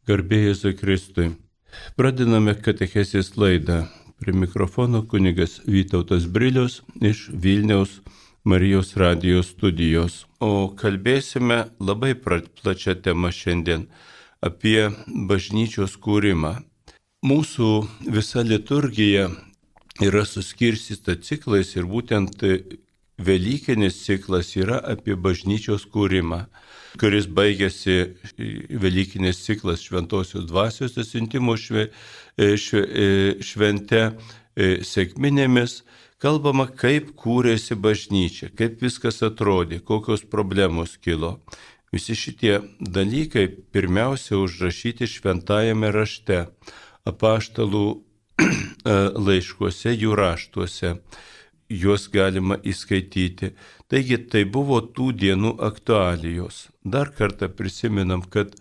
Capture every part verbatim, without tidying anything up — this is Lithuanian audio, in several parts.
Garbė Jėzui Kristui. Pradedame katechezės laidą. Prie mikrofono kunigas Vytautas Brilius iš Vilniaus Marijos radijos studijos. O kalbėsime labai plačią temą šiandien apie bažnyčios kūrimą. Mūsų visa liturgija yra suskirstyta ciklais ir būtent Velykinis ciklas yra apie bažnyčios kūrimą, kuris baigėsi Velykinis ciklas Šventosios dvasios atsiuntimo šve, šve, švente sekminėmis. Kalbama, kaip kūrėsi bažnyčia, kaip viskas atrodė, kokios problemos kilo. Visi šitie dalykai pirmiausia užrašyti šventajame rašte, apaštalų laiškuose, jų raštuose. Juos galima įskaityti. Taigi tai buvo tų dienų aktualijos. Dar kartą prisiminam, kad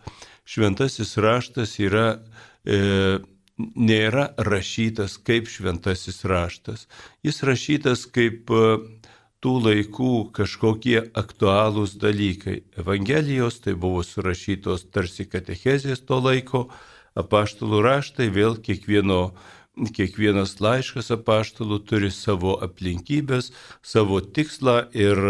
šventasis raštas yra, e, nėra rašytas kaip šventasis raštas. Jis rašytas kaip e, tų laikų kažkokie aktualūs dalykai. Evangelijos tai buvo surašytos tarsi katechezės to laiko, apaštalų raštai vėl kiekvieno Kiekvienas laiškas apaštalų turi savo aplinkybės, savo tikslą ir,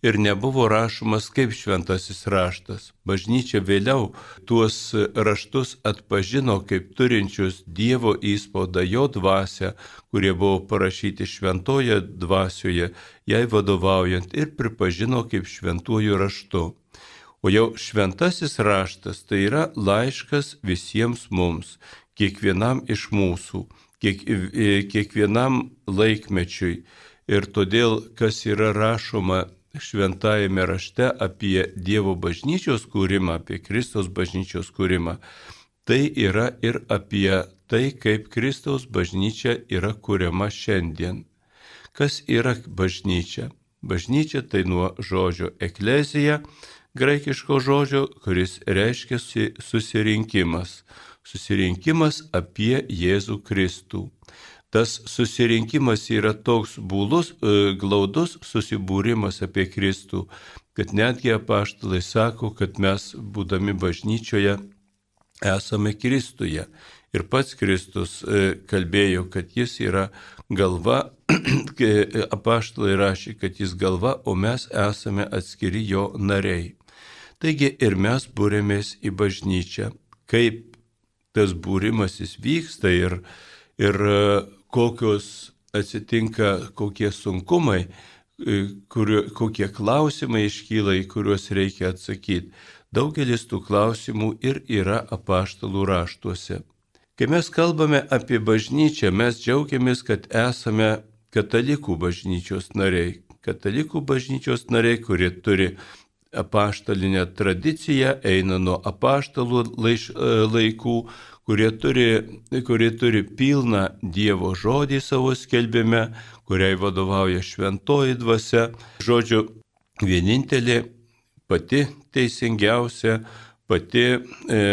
ir nebuvo rašomas kaip šventasis raštas. Bažnyčia vėliau tuos raštus atpažino kaip turinčius Dievo įspaudą, jo dvasią, kurie buvo parašyti šventoje dvasioje, jai vadovaujant ir pripažino kaip šventuoju raštu. O jau šventasis raštas tai yra laiškas visiems mums, kiekvienam iš mūsų, kiek, kiekvienam laikmečiui. Ir todėl, kas yra rašoma šventajame rašte apie Dievo bažnyčios kūrimą, apie Kristaus bažnyčios kūrimą, tai yra ir apie tai, kaip Kristaus bažnyčia yra kūriama šiandien. Kas yra bažnyčia? Bažnyčia tai nuo žodžio eklezija, graikiško žodžio, kuris reiškia susirinkimas. Susirinkimas apie Jėzų Kristų. Tas susirinkimas yra toks būlus, glaudus susibūrimas apie Kristų, kad netgi apaštalai sako, kad mes, būdami bažnyčioje, esame Kristuje. Ir pats Kristus kalbėjo, kad jis yra galva, apaštalai rašė, kad jis galva, o mes esame atskiri jo nariai. Taigi ir mes būrėmės į bažnyčią. Kaip tas būrimasis vyksta ir, ir kokios atsitinka, kokie sunkumai, kurio, kokie klausimai iškyla, į kuriuos reikia atsakyti. Daugelis tų klausimų ir yra apaštalų raštuose. Kai mes kalbame apie bažnyčią, mes džiaugiamės, kad esame katalikų bažnyčios nariai. Katalikų bažnyčios nariai, kurie turi apaštalinę tradiciją, eina nuo apaštalų laiš, laikų, kurie turi, kurie turi pilną Dievo žodį savo skelbime, kuriai vadovauja šventoji dvasia. Žodžiu, vienintelė, pati teisingiausia, pati, e,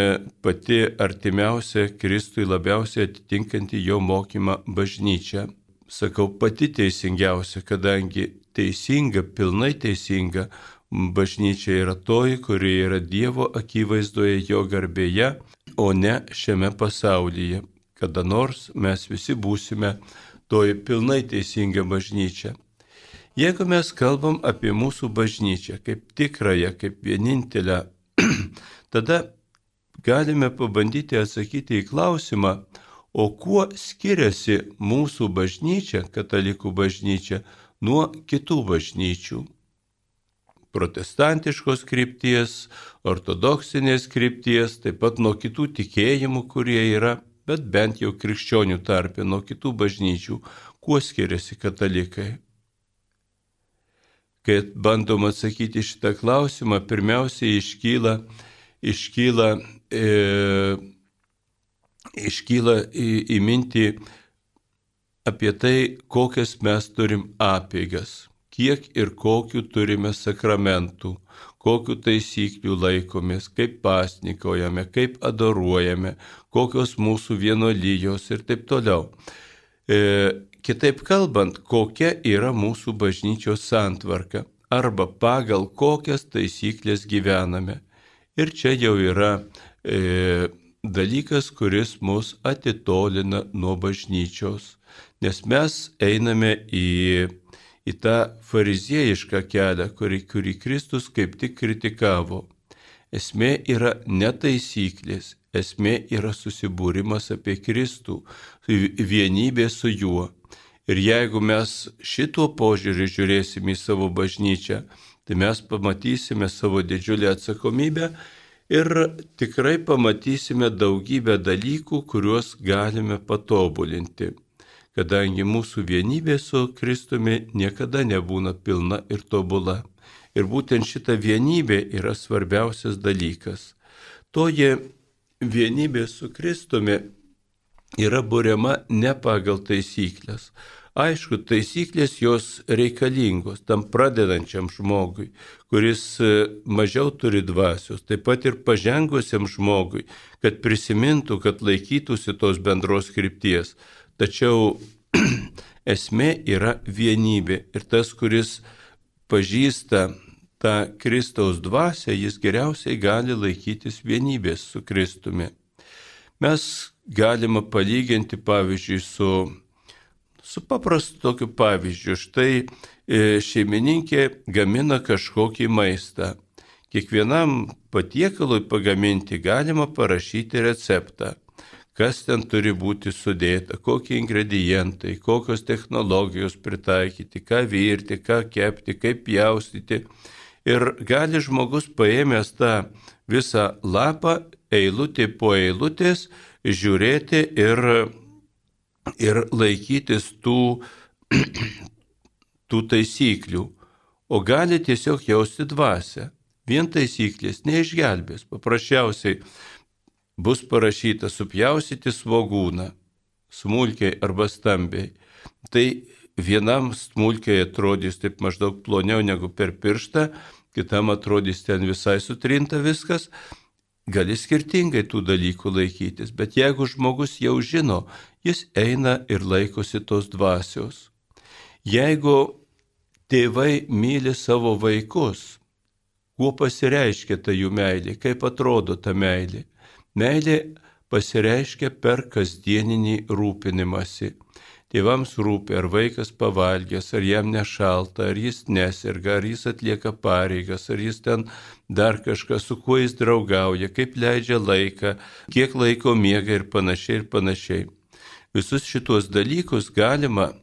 pati artimiausia Kristui labiausiai atitinkanti jo mokymą bažnyčia. Sakau, pati teisingiausia, kadangi teisinga, pilnai teisinga, bažnyčia yra toji, kuri yra Dievo akivaizdoje, jo garbėje, o ne šiame pasaulyje. Kada nors mes visi būsime toji pilnai teisinga bažnyčia. Jeigu mes kalbam apie mūsų bažnyčią kaip tikrąją, kaip vienintelę, tada galime pabandyti atsakyti į klausimą, o kuo skiriasi mūsų bažnyčia, katalikų bažnyčia, nuo kitų bažnyčių. Protestantiškos krypties, ortodoksinės krypties, taip pat nuo kitų tikėjimų, kurie yra, bet bent jau krikščionių tarpe, nuo kitų bažnyčių, kuo skiriasi katalikai. Kai bandom atsakyti šitą klausimą, pirmiausiai iškyla, iškyla, e, iškyla į, į mintį apie tai, kokias mes turim apeigas. Kiek ir kokių turime sakramentų, kokių taisyklių laikomės, kaip pasnikaujame, kaip adoruojame, kokios mūsų vienolyjos ir taip toliau. E, kitaip kalbant, kokia yra mūsų bažnyčios santvarka arba pagal kokias taisyklės gyvename. Ir čia jau yra e, dalykas, kuris mus atitolina nuo bažnyčios, nes mes einame į, į tą fariziejišką kelią, kurį, kurį Kristus kaip tik kritikavo. Esmė yra ne taisyklės, esmė yra susibūrimas apie Kristų, vienybė su juo. Ir jeigu mes šituo požiūriu žiūrėsime į savo bažnyčią, tai mes pamatysime savo didžiulę atsakomybę ir tikrai pamatysime daugybę dalykų, kuriuos galime patobulinti, kadangi mūsų vienybė su Kristumi niekada nebūna pilna ir tobula. Ir būtent šita vienybė yra svarbiausias dalykas. Toji vienybė su Kristumi yra buriama ne pagal taisyklės. Aišku, taisyklės jos reikalingos tam pradedančiam žmogui, kuris mažiau turi dvasios, taip pat ir pažengusiam žmogui, kad prisimintų, kad laikytųsi tos bendros krypties. Tačiau esmė yra vienybė ir tas, kuris pažįsta tą Kristaus dvasią, jis geriausiai gali laikytis vienybės su Kristumi. Mes galime palyginti, pavyzdžiui, su, su paprastu tokiu pavyzdžiu. Štai e, šeimininkė gamina kažkokį maistą. Kiekvienam patiekalui pagaminti galima parašyti receptą, kas ten turi būti sudėta, kokie ingredientai, kokios technologijos pritaikyti, ką virti, ką kepti, kaip pjaustyti. Ir gali žmogus paėmęs tą visą lapą, eilutė po eilutės, žiūrėti ir, ir laikytis tų, tų taisyklių. O gali tiesiog jausti dvasią. Vien taisyklės neišgelbės. Paprasčiausiai bus parašyta supjausyti svogūną, smulkiai arba stambiai. Tai vienam smulkiai atrodys taip maždaug ploniau negu per pirštą, kitam atrodys ten visai sutrinta viskas. Gali skirtingai tų dalykų laikytis, bet jeigu žmogus jau žino, jis eina ir laikosi tos dvasios. Jeigu tėvai myli savo vaikus, kuo pasireiškia ta jų meilė, kaip atrodo ta meilė? Meilė pasireiškia per kasdieninį rūpinimąsi. Tėvams rūpi, ar vaikas pavalgęs, ar jam nešalta, ar jis neserga, ar jis atlieka pareigas, ar jis ten dar kažką, su kuo jis draugauja, kaip leidžia laiką, kiek laiko miega ir panašiai ir panašiai. Visus šitos dalykus galima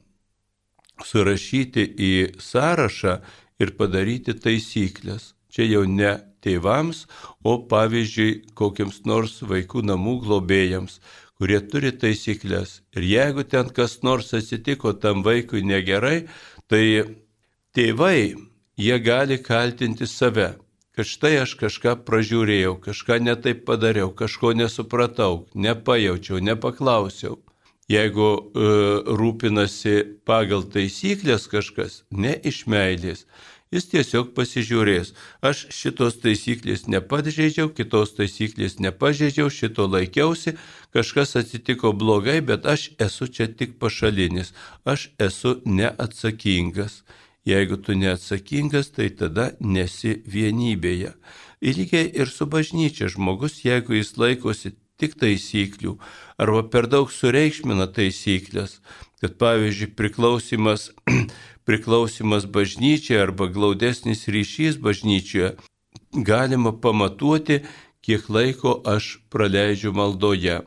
surašyti į sąrašą ir padaryti taisyklės. Čia jau ne tėvams, o pavyzdžiui kokiams nors vaikų namų globėjams, kurie turi taisyklės. Ir jeigu ten kas nors atsitiko tam vaikui negerai, tai tėvai, jie gali kaltinti save, kad štai aš kažką pražiūrėjau, kažką netaip padariau, kažko nesupratau, nepajaučiau, nepaklausiau. Jeigu e, rūpinasi pagal taisyklės kažkas, ne iš meilės, jis tiesiog pasižiūrės. Aš šitos taisyklės nepažeidžiau, kitos taisyklės nepažeidžiau, šito laikiausi, kažkas atsitiko blogai, bet aš esu čia tik pašalinis, aš esu neatsakingas. Jeigu tu neatsakingas, tai tada nesi vienybėje. Ir lygiai ir su bažnyčia žmogus, jeigu jis laikosi tik taisyklių, arba per daug sureikšmina taisyklės, kad pavyzdžiui priklausimas priklausimas bažnyčiai arba glaudesnis ryšys bažnyčioje galima pamatuoti, kiek laiko aš praleidžiu maldoje,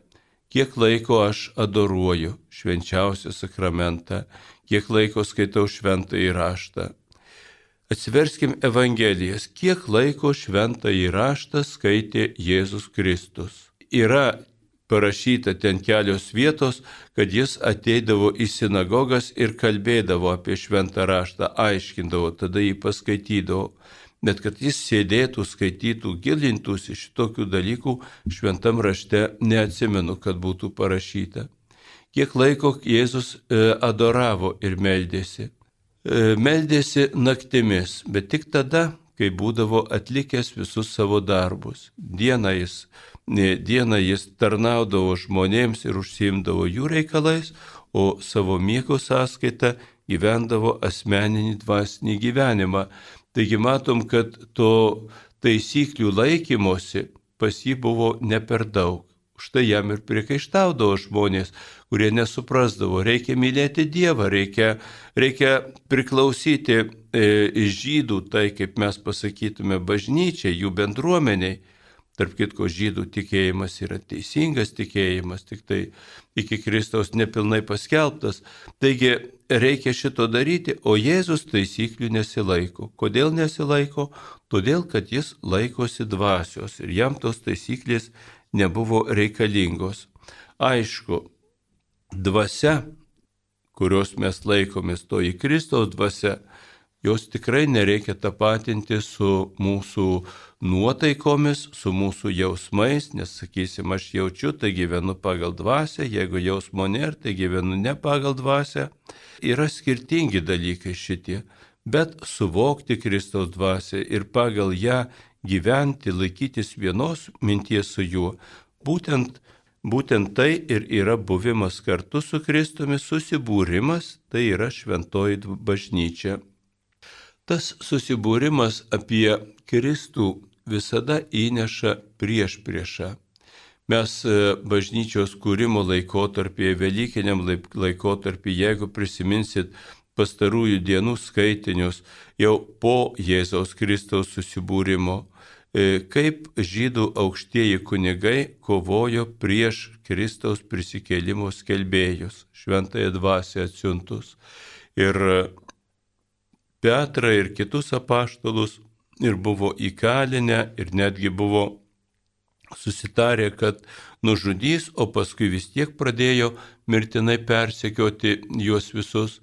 kiek laiko aš adoruoju švenčiausią sakramentą, kiek laiko skaitau šventąjį raštą. Atsiverskim Evangelijas, kiek laiko šventąjį raštą skaitė Jėzus Kristus. Yra parašyta ten kelios vietos, kad jis ateidavo į sinagogas ir kalbėdavo apie šventą raštą, aiškindavo, tada jį paskaitydavo. Bet kad jis sėdėtų, skaitytų, gilintųsi šitokių dalykų, šventam rašte neatsimenu, kad būtų parašyta. Kiek laiko Jėzus adoravo ir meldėsi. Meldėsi naktimis, bet tik tada, kai būdavo atlikęs visus savo darbus. Dieną jis Dieną jis tarnaudavo žmonėms ir užsiimdavo jų reikalais, o savo miego sąskaitą gyvendavo asmeninį dvasinį gyvenimą. Taigi matom, kad to taisyklių laikymosi pas jį buvo ne per daug. Štai jam ir priekaištaudavo žmonės, kurie nesuprasdavo. Reikia mylėti Dievą, reikia, reikia priklausyti e, žydų, tai kaip mes pasakytume, bažnyčiai, jų bendruomeniai. Tarp kitko, žydų tikėjimas yra teisingas tikėjimas, tik tai iki Kristaus nepilnai paskelbtas. Taigi reikia šito daryti, o Jėzus taisyklių nesilaiko. Kodėl nesilaiko? Todėl, kad jis laikosi dvasios ir jam tos taisyklės nebuvo reikalingos. Aišku, dvasia, kurios mes laikomės, toji Kristaus dvasia, jos tikrai nereikia tapatinti su mūsų nuotaikomis, su mūsų jausmais, nes sakysim, aš jaučiu, tai gyvenu pagal dvasią, jeigu jausmo nėra, tai gyvenu ne pagal dvasią. Yra skirtingi dalykai šitie, bet suvokti Kristaus dvasią ir pagal ją gyventi, laikytis vienos minties su juo, būtent, būtent tai ir yra buvimas kartu su Kristumi, susibūrimas, tai yra šventoji bažnyčia. Tas susibūrimas apie Kristų visada įneša priešpriešą. Mes bažnyčios kūrimo laikotarpyje, Velykiniam laikotarpyje, jeigu prisiminsit pastarųjų dienų skaitinius, jau po Jėzaus Kristaus susibūrimo, kaip žydų aukštieji kunigai kovojo prieš Kristaus prisikėlimo skelbėjus, šventąją dvasią atsiuntus. Ir Petrą ir kitus apaštalus ir buvo įkalinę ir netgi buvo susitarę, kad nužudys, o paskui vis tiek pradėjo mirtinai persekioti juos visus.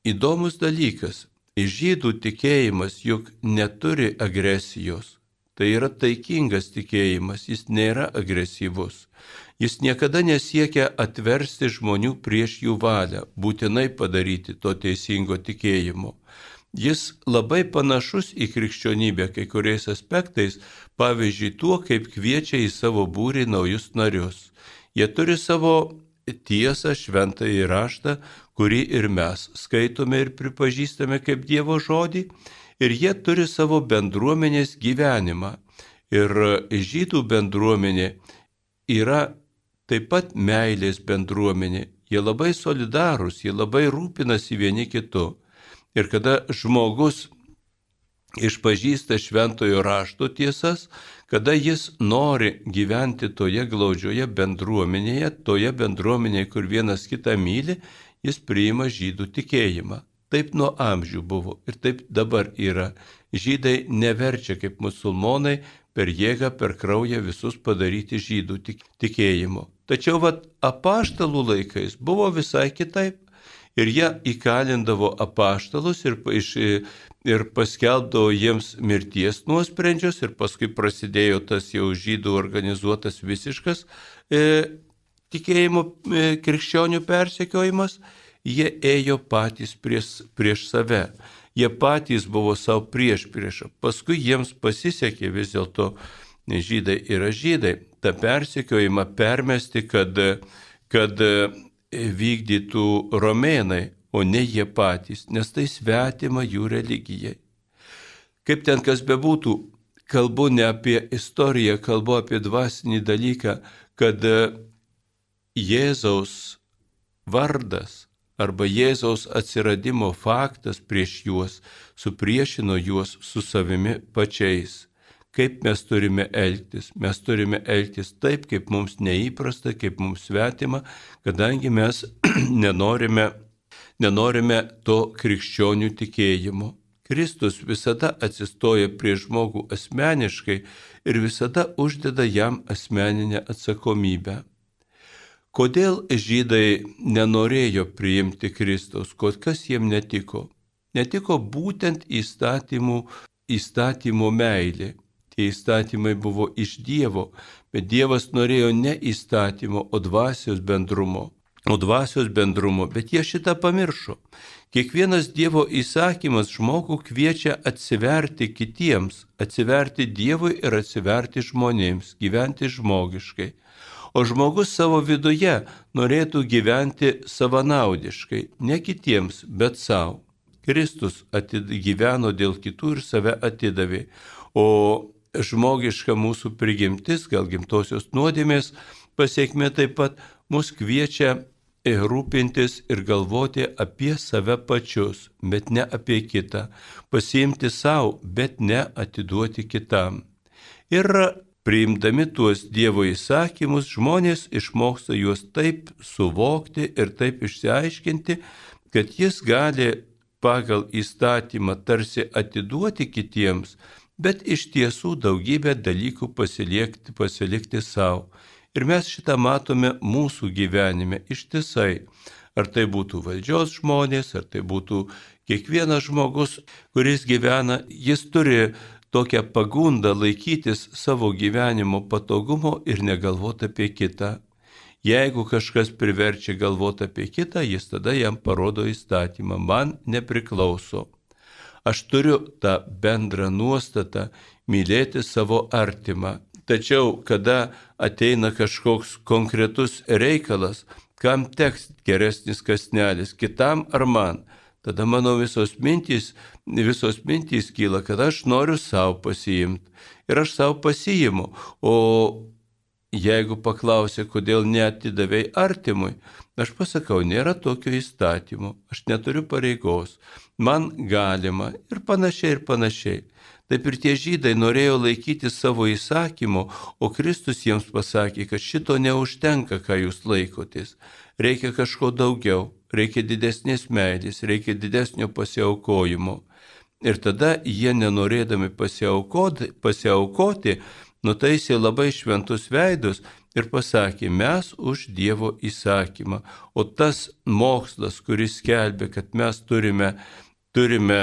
Įdomus dalykas, žydų tikėjimas juk neturi agresijos. Tai yra taikingas tikėjimas, jis nėra agresyvus. Jis niekada nesiekia atversti žmonių prieš jų valią, būtinai padaryti to teisingo tikėjimo. Jis labai panašus į krikščionybę kai kuriais aspektais, pavyzdžiui, tuo, kaip kviečia į savo būrį naujus narius. Jie turi savo tiesą, šventąjį raštą, kurį ir mes skaitome ir pripažįstame kaip Dievo žodį, ir jie turi savo bendruomenės gyvenimą. Ir žydų bendruomenė yra taip pat meilės bendruomenė. Jie labai solidarūs, jie labai rūpinasi vieni kitu. Ir kada žmogus išpažįsta šventojo rašto tiesas, kada jis nori gyventi toje glaudžioje bendruomenėje, toje bendruomenėje, kur vienas kitą myli, jis priima žydų tikėjimą. Taip nuo amžių buvo ir taip dabar yra. Žydai neverčia kaip musulmonai per jėgą, per kraują visus padaryti žydų tikėjimo. Tačiau vat apaštalų laikais buvo visai kitaip. Ir jie įkalindavo apaštalus ir, ir paskelbdavo jiems mirties nuosprendžius ir paskui prasidėjo tas jau žydų organizuotas visiškas e, tikėjimo e, krikščionių persekiojimas. Jie ėjo patys prieš, prieš save. Jie patys buvo savo prieš priešą. Paskui jiems pasisekė vis dėlto, žydai yra žydai, tą persekiojimą permesti, kad, kad vykdytų romėnai, o ne jie patys, nes tai svetima jų religijai. Kaip ten kas bebūtų, kalbu ne apie istoriją, kalbu apie dvasinį dalyką, kad Jėzaus vardas arba Jėzaus atsiradimo faktas prieš juos supriešino juos su savimi pačiais. Kaip mes turime elgtis? Mes turime elgtis taip, kaip mums neįprasta, kaip mums svetima, kadangi mes nenorime, nenorime to krikščionių tikėjimo. Kristus visada atsistoja prieš žmogų asmeniškai ir visada uždeda jam asmeninę atsakomybę. Kodėl žydai nenorėjo priimti Kristaus? Kas jiems netiko? Netiko būtent įstatymų, įstatymų meilė. Tie įstatymai buvo iš Dievo, bet Dievas norėjo ne įstatymo, o dvasios bendrumo. O dvasios bendrumo, bet jie šitą pamiršo. Kiekvienas Dievo įsakymas žmogų kviečia atsiverti kitiems, atsiverti Dievui ir atsiverti žmonėms, gyventi žmogiškai. O žmogus savo viduje norėtų gyventi savanaudiškai, ne kitiems, bet savo. Kristus gyveno dėl kitų ir save atidavė, o žmogiška mūsų prigimtis, gal gimtosios nuodėmės pasiekmė taip pat mus kviečia rūpintis ir galvoti apie save pačius, bet ne apie kitą, pasiimti savo, bet ne atiduoti kitam. Ir priimdami tuos Dievo įsakymus, žmonės išmoksta juos taip suvokti ir taip išsiaiškinti, kad jis gali pagal įstatymą tarsi atiduoti kitiems, bet iš tiesų daugybę dalykų pasilikti, pasilikti savo. Ir mes šitą matome mūsų gyvenime ištisai. Ar tai būtų valdžios žmonės, ar tai būtų kiekvienas žmogus, kuris gyvena, jis turi tokią pagundą laikytis savo gyvenimo patogumo ir negalvoti apie kitą. Jeigu kažkas priverčia galvoti apie kitą, jis tada jam parodo įstatymą, man nepriklauso. Aš turiu tą bendrą nuostatą mylėti savo artimą. Tačiau, kada ateina kažkoks konkretus reikalas, kam teks geresnis kąsnelis, kitam ar man, tada mano visos mintys, visos mintys kyla, kad aš noriu savo pasiimti. Ir aš savo pasiimu. O jeigu paklausia, kodėl neatidavei artimui, aš pasakau, nėra tokio įstatymo, aš neturiu pareigos, man galima ir panašiai ir panašiai. Taip ir tie žydai norėjo laikyti savo įsakymo, o Kristus jiems pasakė, kad šito neužtenka, ką jūs laikotės. Reikia kažko daugiau, reikia didesnės meilės, reikia didesnio pasiaukojimo. Ir tada jie, nenorėdami pasiaukoti, pasiaukoti nutaisė labai šventus veidus ir pasakė, mes už Dievo įsakymą. O tas mokslas, kuris skelbė, kad mes turime, turime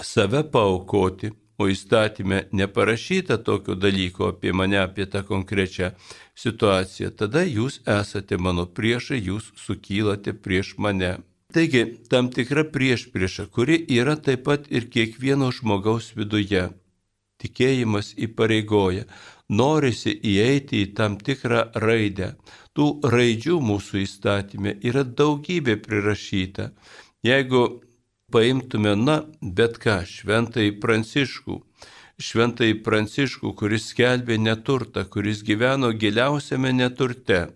save paaukoti, o įstatyme neparašyta tokio dalyko apie mane, apie tą konkrečią situaciją, tada jūs esate mano priešai, jūs sukylate prieš mane. Taigi, tam tikra priešprieša, kuri yra taip pat ir kiekvieno žmogaus viduje. Tikėjimas įpareigoja, norisi įeiti į tam tikrą raidę. Tų raidžių mūsų įstatyme yra daugybė prirašyta. Jeigu paimtume, na, bet ką, šventąjį Pranciškų, šventąjį Pranciškų, kuris skelbė neturtą, kuris gyveno giliausiame neturte.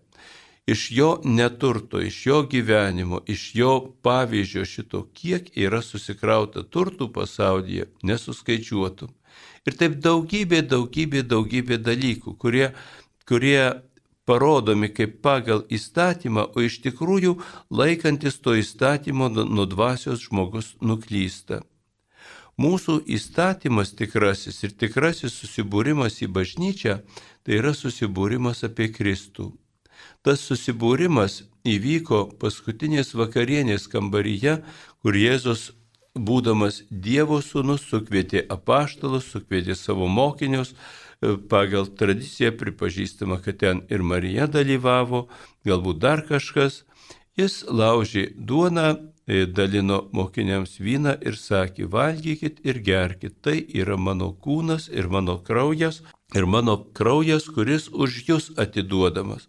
Iš jo neturto, iš jo gyvenimo, iš jo pavyzdžio šito, kiek yra susikrauta turtų pasaulyje, nesuskaičiuotum. Ir taip daugybė, daugybė, daugybė dalykų, kurie, kurie parodomi kaip pagal įstatymą, o iš tikrųjų laikantis to įstatymo nuo dvasios žmogus nuklysta. Mūsų įstatymas tikrasis ir tikrasis susibūrimas į bažnyčią, tai yra susibūrimas apie Kristų. Tas susibūrimas įvyko paskutinės vakarienės kambaryje, kur Jėzus, būdamas Dievo sūnus, sukvietė apaštalus, sukvietė savo mokinius. Pagal tradiciją pripažįstama, kad ten ir Marija dalyvavo, galbūt dar kažkas. Jis laužė duoną, dalino mokiniams vyną ir sakė, valgykit ir gerkit, tai yra mano kūnas ir mano kraujas, ir mano kraujas, kuris už jūs atiduodamas.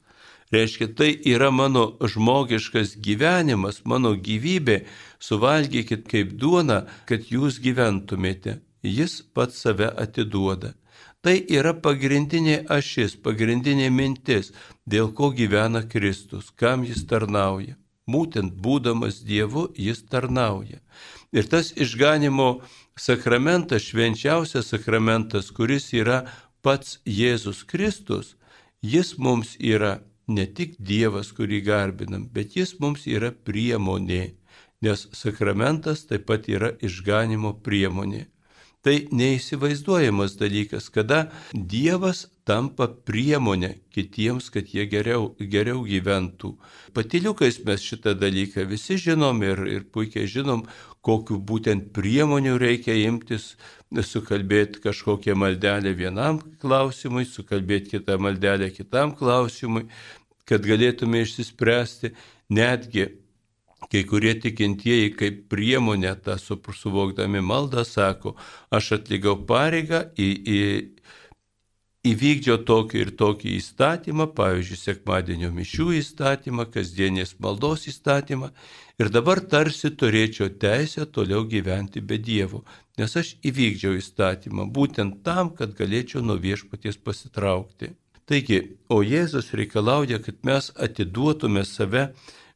Reiškia, tai yra mano žmogiškas gyvenimas, mano gyvybė, suvalgykit kaip duona, kad jūs gyventumėte. Jis pats save atiduoda. Tai yra pagrindinė ašis, pagrindinė mintis, dėl ko gyvena Kristus, kam jis tarnauja. Būtent būdamas Dievu jis tarnauja. Ir tas išganimo sakramentas, švenčiausias sakramentas, kuris yra pats Jėzus Kristus, jis mums yra ne tik Dievas, kurį garbinam, bet jis mums yra priemonė, nes sakramentas taip pat yra išganimo priemonė. Tai neįsivaizduojamas dalykas, kada Dievas tampa priemonė kitiems, kad jie geriau, geriau gyventų. Patyliukais mes šitą dalyką visi žinom ir, ir puikiai žinom, kokiu būtent priemonių reikia imtis, sukalbėti kažkokią maldelę vienam klausimui, sukalbėti kitą maldelę kitam klausimui, kad galėtume išsispręsti. Netgi kai kurie tikintieji kaip priemonę tą suvokdami maldą sako, aš atlikau pareigą į, į, įvykdžiau tokį ir tokį įstatymą, pavyzdžiui, sekmadienio mišių įstatymą, kasdienės maldos įstatymą, ir dabar tarsi turėčiau teisę toliau gyventi be Dievo, nes aš įvykdžiau įstatymą būtent tam, kad galėčiau nuo viešpaties pasitraukti. Taigi, o Jėzus reikalauja, kad mes atiduotume save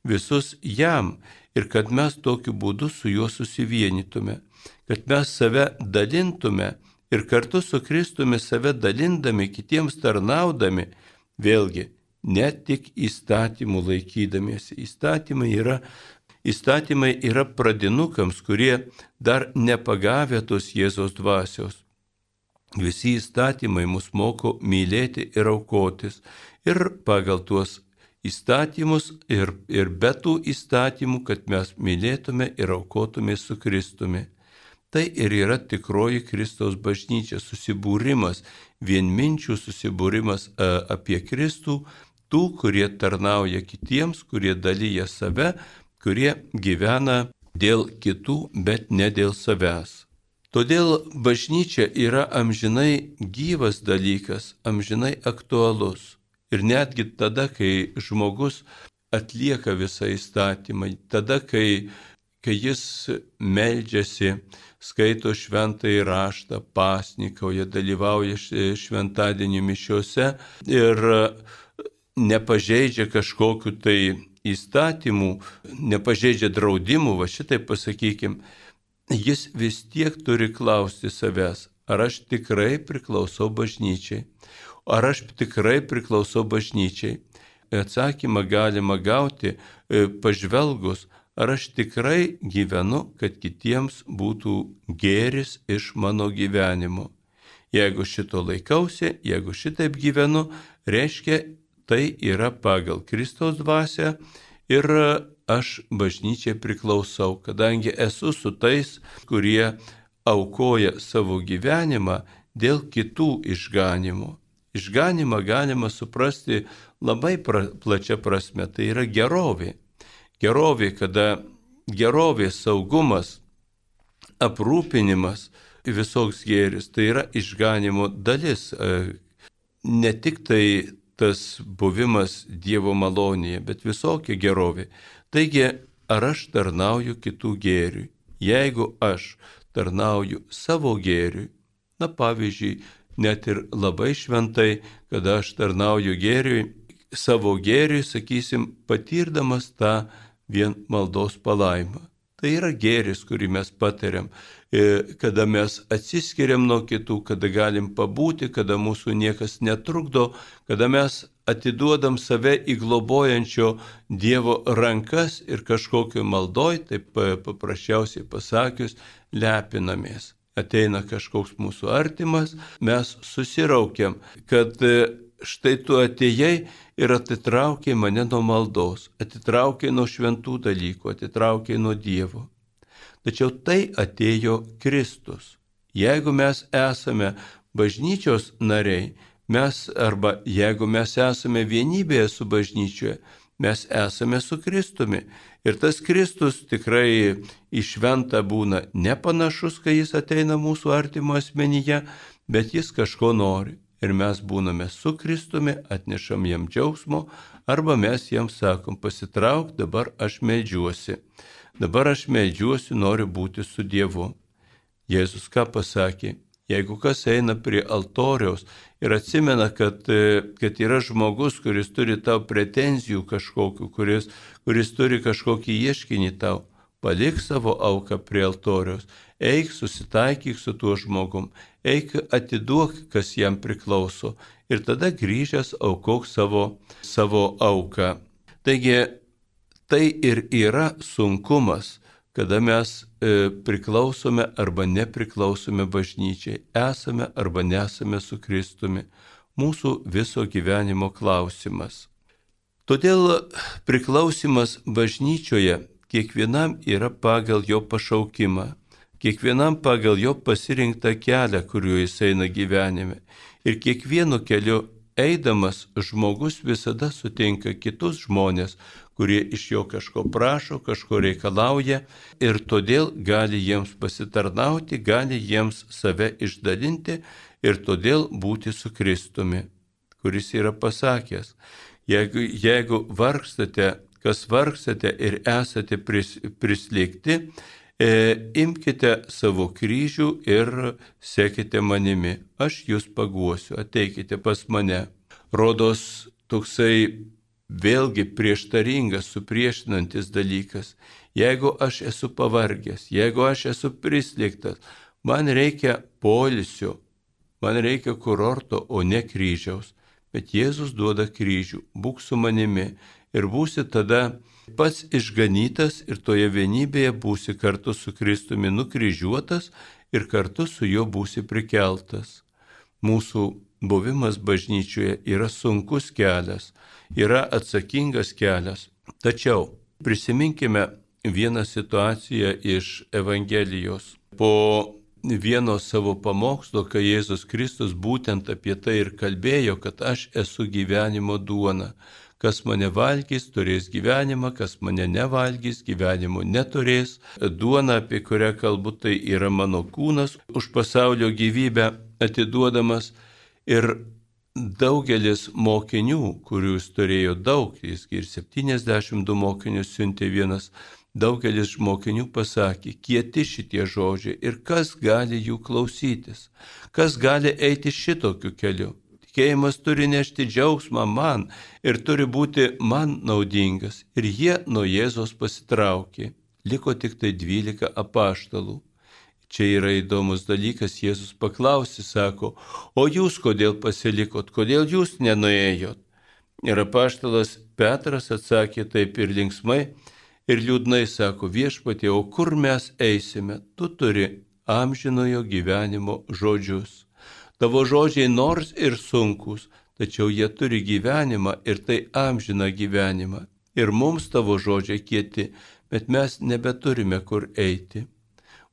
visus jam ir kad mes tokiu būdu su juo susivienytume, kad mes save dalintume ir kartu su Kristumi save dalindami, kitiems tarnaudami, vėlgi, ne tik įstatymų laikydamiesi. Įstatymai yra, įstatymai yra pradinukams, kurie dar nepagavę tos Jėzaus dvasios. Visi įstatymai mus moko mylėti ir aukotis. Ir pagal tuos įstatymus ir, ir be tų įstatymų, kad mes mylėtume ir aukotume su Kristumi. Tai ir yra tikroji Kristaus bažnyčia, susibūrimas, vienminčių susibūrimas apie Kristų, tų, kurie tarnauja kitiems, kurie dalyja save, kurie gyvena dėl kitų, bet ne dėl savęs. Todėl bažnyčia yra amžinai gyvas dalykas, amžinai aktualus. Ir netgi tada, kai žmogus atlieka visą įstatymą, tada, kai, kai jis meldžiasi, skaito šventąjį raštą, pasnikauja, dalyvauja šventadienio mišiose ir nepažeidžia kažkokiu tai įstatymų, nepažeidžia draudimų, va šitai pasakykim, jis vis tiek turi klausti savęs, ar aš tikrai priklausau bažnyčiai, ar aš tikrai priklausau bažnyčiai. Atsakymą galima gauti pažvelgus, ar aš tikrai gyvenu, kad kitiems būtų gėris iš mano gyvenimo. Jeigu šito laikausi, jeigu šitaip gyvenu, reiškia, tai yra pagal Kristaus dvasią ir aš bažnyčiai priklausau, kadangi esu su tais, kurie aukoja savo gyvenimą dėl kitų išganimų. Išganimą galima suprasti labai pra, plačia prasme, tai yra gerovė. Gerovė, kada gerovė, saugumas, aprūpinimas, visoks gėris, tai yra išganimo dalis. Ne tik tai tas buvimas Dievo malonėje, bet visokia gerovė. Taigi, ar aš tarnauju kitų gėriui? Jeigu aš tarnauju savo gėriui, na pavyzdžiui, net ir labai šventai, kada aš tarnauju gėriui, savo gėriui, sakysim, patirdamas tą vien maldos palaimą. Tai yra gėris, kurį mes patiriam, kada mes atsiskiriam nuo kitų, kada galim pabūti, kada mūsų niekas netrukdo, kada mes atiduodam save į globojančio Dievo rankas ir kažkokio maldoj, taip paprasčiausiai pasakius, lepinamės. Ateina kažkoks mūsų artimas, mes susiraukiam, kad štai tu atėjai ir atitraukė mane nuo maldos, atitraukė nuo šventų dalykų, atitraukė nuo Dievo. Tačiau tai atėjo Kristus. Jeigu mes esame bažnyčios nariai, mes arba jeigu mes esame vienybėje su bažnyčioje, mes esame su Kristumi. Ir tas Kristus tikrai į šventą būna nepanašus, kai jis ateina mūsų artimo asmenyje, bet jis kažko nori. Ir mes būname su Kristumi, atnešam jam džiaugsmo, arba mes jam sakom, pasitrauk, dabar aš meldžiuosi. Dabar aš meldžiuosi, noriu būti su Dievu. Jėzus ką pasakė? Jeigu kas eina prie altoriaus ir atsimena, kad, kad yra žmogus, kuris turi tau pretenzijų kažkokių, kuris, kuris turi kažkokį ieškinį tau, palik savo auką prie altoriaus, eik susitaikyk su tuo žmogum, eik atiduok, kas jam priklauso ir tada grįžęs aukok savo, savo auką. Taigi tai ir yra sunkumas, kada mes e, priklausome arba nepriklausome bažnyčiai, esame arba nesame su Kristumi, mūsų viso gyvenimo klausimas. Todėl priklausimas bažnyčioje kiekvienam yra pagal jo pašaukimą, kiekvienam pagal jo pasirinktą kelią, kuriuo jis eina gyvenime. Ir kiekvienu keliu eidamas žmogus visada sutinka kitus žmonės, kurie iš jo kažko prašo, kažko reikalauja ir todėl gali jiems pasitarnauti, gali jiems save išdalinti ir todėl būti su Kristumi, kuris yra pasakęs, jeigu, jeigu vargstate, kas vargstate ir esate pris, prislėgti, e, imkite savo kryžių ir sekite manimi, aš jūs paguosiu, ateikite pas mane. Rodos toksai vėlgi prieštaringas, supriešinantis dalykas. Jeigu aš esu pavargęs, jeigu aš esu prislėgtas, man reikia poilsio, man reikia kurorto, o ne kryžiaus. Bet Jėzus duoda kryžių, būk su manimi ir būsi tada pats išganytas ir toje vienybėje būsi kartu su Kristumi nukryžiuotas ir kartu su juo būsi prikeltas. Mūsų buvimas bažnyčioje yra sunkus kelias, yra atsakingas kelias. Tačiau prisiminkime vieną situaciją iš Evangelijos. Po vieno savo pamokslo, kai Jėzus Kristus būtent apie tai ir kalbėjo, kad aš esu gyvenimo duona. Kas mane valgys, turės gyvenimą, kas mane nevalgys, gyvenimo neturės. Duona, apie kurią kalbu, tai yra mano kūnas, už pasaulio gyvybę atiduodamas. Ir daugelis mokinių, kurių jis turėjo daug, jis ir septyniasdešimt du mokinius siuntė vienas, daugelis mokinių pasakė, kieti šitie žodžiai ir kas gali jų klausytis, kas gali eiti šitokiu keliu. Tikėjimas turi nešti džiaugsmą man ir turi būti man naudingas. Ir jie nuo Jėzos pasitraukė. Liko tik tai dvylika apaštalų. Čia yra įdomus dalykas, Jėzus paklausė, sako, o jūs kodėl pasilikot, kodėl jūs nenuėjot? Ir apaštalas Petras atsakė taip ir linksmai, ir liūdnai sako, viešpatie, o kur mes eisime? Tu turi amžinojo gyvenimo žodžius. Tavo žodžiai nors ir sunkus, tačiau jie turi gyvenimą ir tai amžiną gyvenimą. Ir mums tavo žodžiai kieti, bet mes nebeturime kur eiti.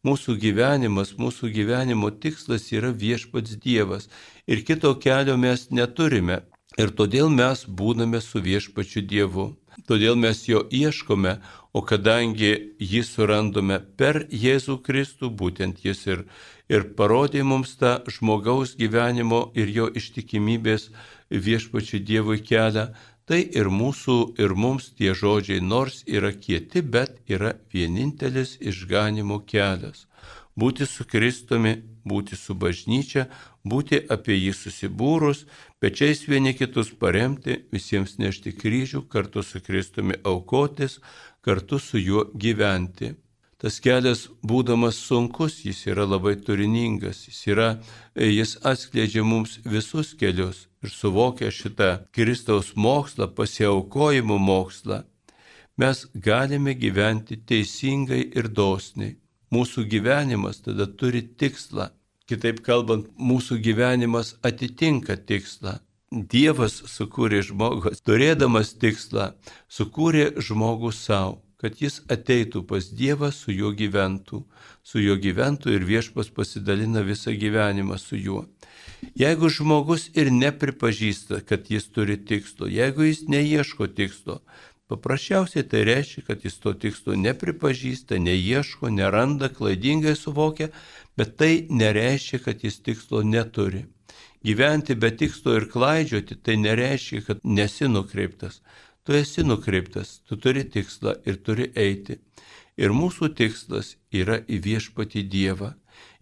Mūsų gyvenimas, mūsų gyvenimo tikslas yra viešpats Dievas ir kito kelio mes neturime ir todėl mes būname su viešpačiu Dievu. Todėl mes jo ieškome, o kadangi jį surandome per Jėzų Kristų, būtent jis ir, ir parodė mums tą žmogaus gyvenimo ir jo ištikimybės viešpačiu Dievui kelią, tai ir mūsų, ir mums tie žodžiai nors yra kieti, bet yra vienintelis išganimo kelias. Būti su Kristumi, būti su bažnyčia, būti apie jį susibūrus, pečiais vieni kitus paremti, visiems nešti kryžių, kartu su Kristumi aukotis, kartu su juo gyventi. Tas kelias, būdamas sunkus, jis yra labai turiningas, jis, yra, jis atskleidžia mums visus kelius ir suvokia šitą Kristaus mokslą, pasiaukojimo mokslą. Mes galime gyventi teisingai ir dosniai. Mūsų gyvenimas tada turi tikslą. Kitaip kalbant, mūsų gyvenimas atitinka tikslą. Dievas sukūrė žmogų, turėdamas tikslą, sukūrė žmogų savo, kad jis ateitų pas Dievą, su juo gyventų, su juo gyventų ir viešpas pasidalina visą gyvenimą su juo. Jeigu žmogus ir nepripažįsta, kad jis turi tikslo, jeigu jis neieško tikslo, paprasčiausiai tai reiškia, kad jis to tikslo nepripažįsta, neieško, neranda, klaidingai suvokia, bet tai nereiškia, kad jis tikslo neturi. Gyventi be tikslo ir klaidžioti, tai nereiškia, kad nesi nukreiptas. Tu esi nukreiptas, tu turi tikslą ir turi eiti. Ir mūsų tikslas yra į viešpatį Dievą.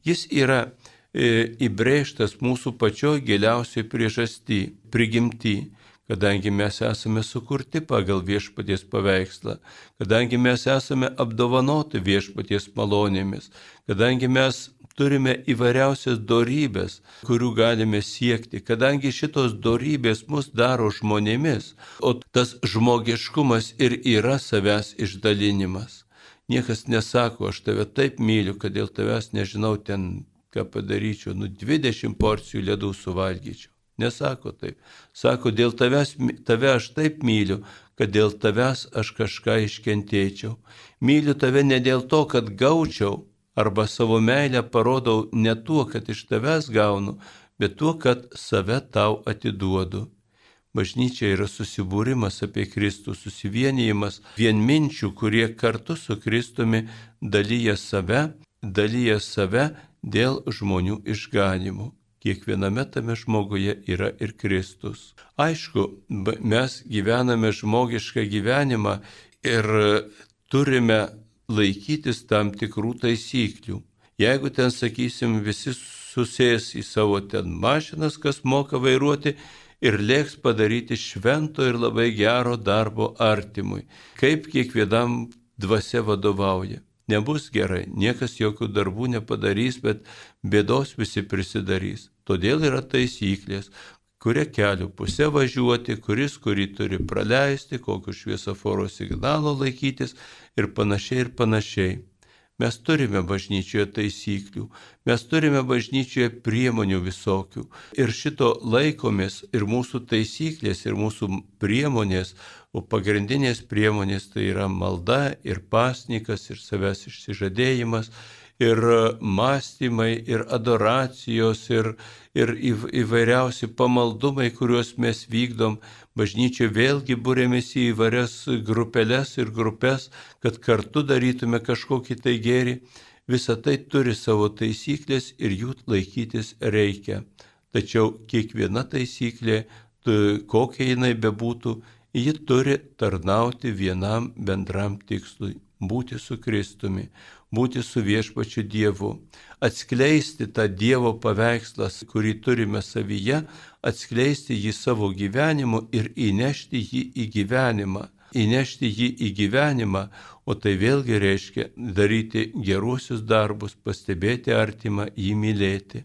Jis yra e, įbrėžtas mūsų pačioj giliausiai priežasty, prigimty, kadangi mes esame sukurti pagal viešpaties paveikslą, kadangi mes esame apdovanoti viešpaties malonėmis, kadangi mes turime įvairiausias dorybės, kurių galime siekti, kadangi šitos dorybės mus daro žmonėmis, o tas žmogiškumas ir yra savęs išdalinimas. Niekas nesako, aš tave taip myliu, kad dėl tavęs nežinau ten, ką padaryčiau, nu dvidešimt porcijų ledų suvalgyčiau. Nesako taip. Sako, dėl tavęs, tave aš taip myliu, kad dėl tavęs aš kažką iškentėčiau. Myliu tave ne dėl to, kad gaučiau, arba savo meilę parodau ne tuo, kad iš tavęs gaunu, bet tuo, kad save tau atiduodu. Bažnyčia yra susibūrimas apie Kristų, susivienijimas vienminčių, kurie kartu su Kristumi dalyja save, dalyja save dėl žmonių išganimų. kiekviename tame žmoguje yra ir Kristus. Aišku, mes gyvename žmogišką gyvenimą ir turime laikytis tam tikrų taisyklių. Jeigu ten, sakysim, visi susės į savo ten mašinas, kas moka vairuoti, ir lėks padaryti švento ir labai gero darbo artimui, kaip kiekvienam dvasia vadovauja. Nebus gerai, niekas jokių darbų nepadarys, bet bėdos visi prisidarys. Todėl yra taisyklės, kuria kelių pusė važiuoti, kuris kurį turi praleisti, kokiu šviesoforo signalo laikytis ir panašiai ir panašiai. Mes turime bažnyčioje taisyklių, mes turime bažnyčioje priemonių visokių. Ir šito laikomės ir mūsų taisyklės, ir mūsų priemonės, o pagrindinės priemonės tai yra malda ir pasnikas, ir savęs išsižadėjimas, ir mąstymai, ir adoracijos, ir, ir įvairiausi pamaldumai, kuriuos mes vykdom. Bažnyčia vėlgi būrėmės į įvairias grupeles ir grupes, kad kartu darytume kažkokį tai gėrį. Visa tai turi savo taisyklės ir jų laikytis reikia. Tačiau kiekviena taisyklė, kokia jinai bebūtų, ji turi tarnauti vienam bendram tikslui – būti su Kristumi, būti su viešpačiu Dievu, atskleisti tą Dievo paveikslą, kurį turime savyje, atskleisti jį savo gyvenimu ir įnešti jį į gyvenimą. Įnešti jį į gyvenimą, o tai vėlgi reiškia daryti geruosius darbus, pastebėti artimą, jį mylėti.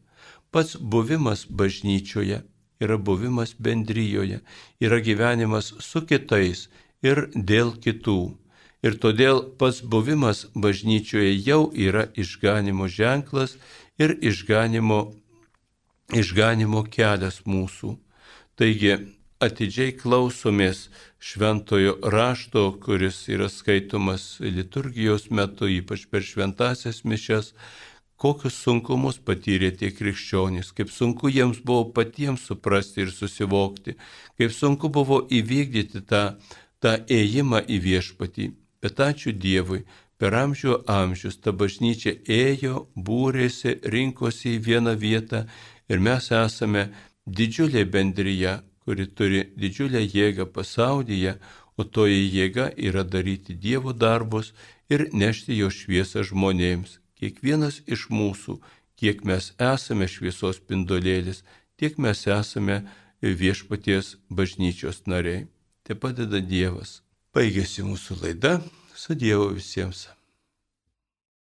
Pats buvimas bažnyčioje yra buvimas bendrijoje, yra gyvenimas su kitais ir dėl kitų. Ir todėl pats buvimas bažnyčioje jau yra išganimo ženklas ir išganimo, išganimo kelias mūsų. Taigi atidžiai klausomės šventojo rašto, kuris yra skaitomas liturgijos metu, ypač per šventąsias mišias, kokius sunkumus patyrė tie krikščionys, kaip sunku jiems buvo patiems suprasti ir susivokti, kaip sunku buvo įvykdyti tą, tą ėjimą į viešpatį. Bet ačiū Dievui, per amžių amžius ta bažnyčia ėjo, būrėsi, rinkosi į vieną vietą ir mes esame didžiulė bendrija, kuri turi didžiulę jėgą pasaulyje, o toji jėga yra daryti Dievo darbus ir nešti jo šviesą žmonėms. Kiekvienas iš mūsų, kiek mes esame šviesos spindulėlis, tiek mes esame viešpaties bažnyčios nariai. Te padeda Dievas. Baigėsi mūsų laida, su Dievu visiems.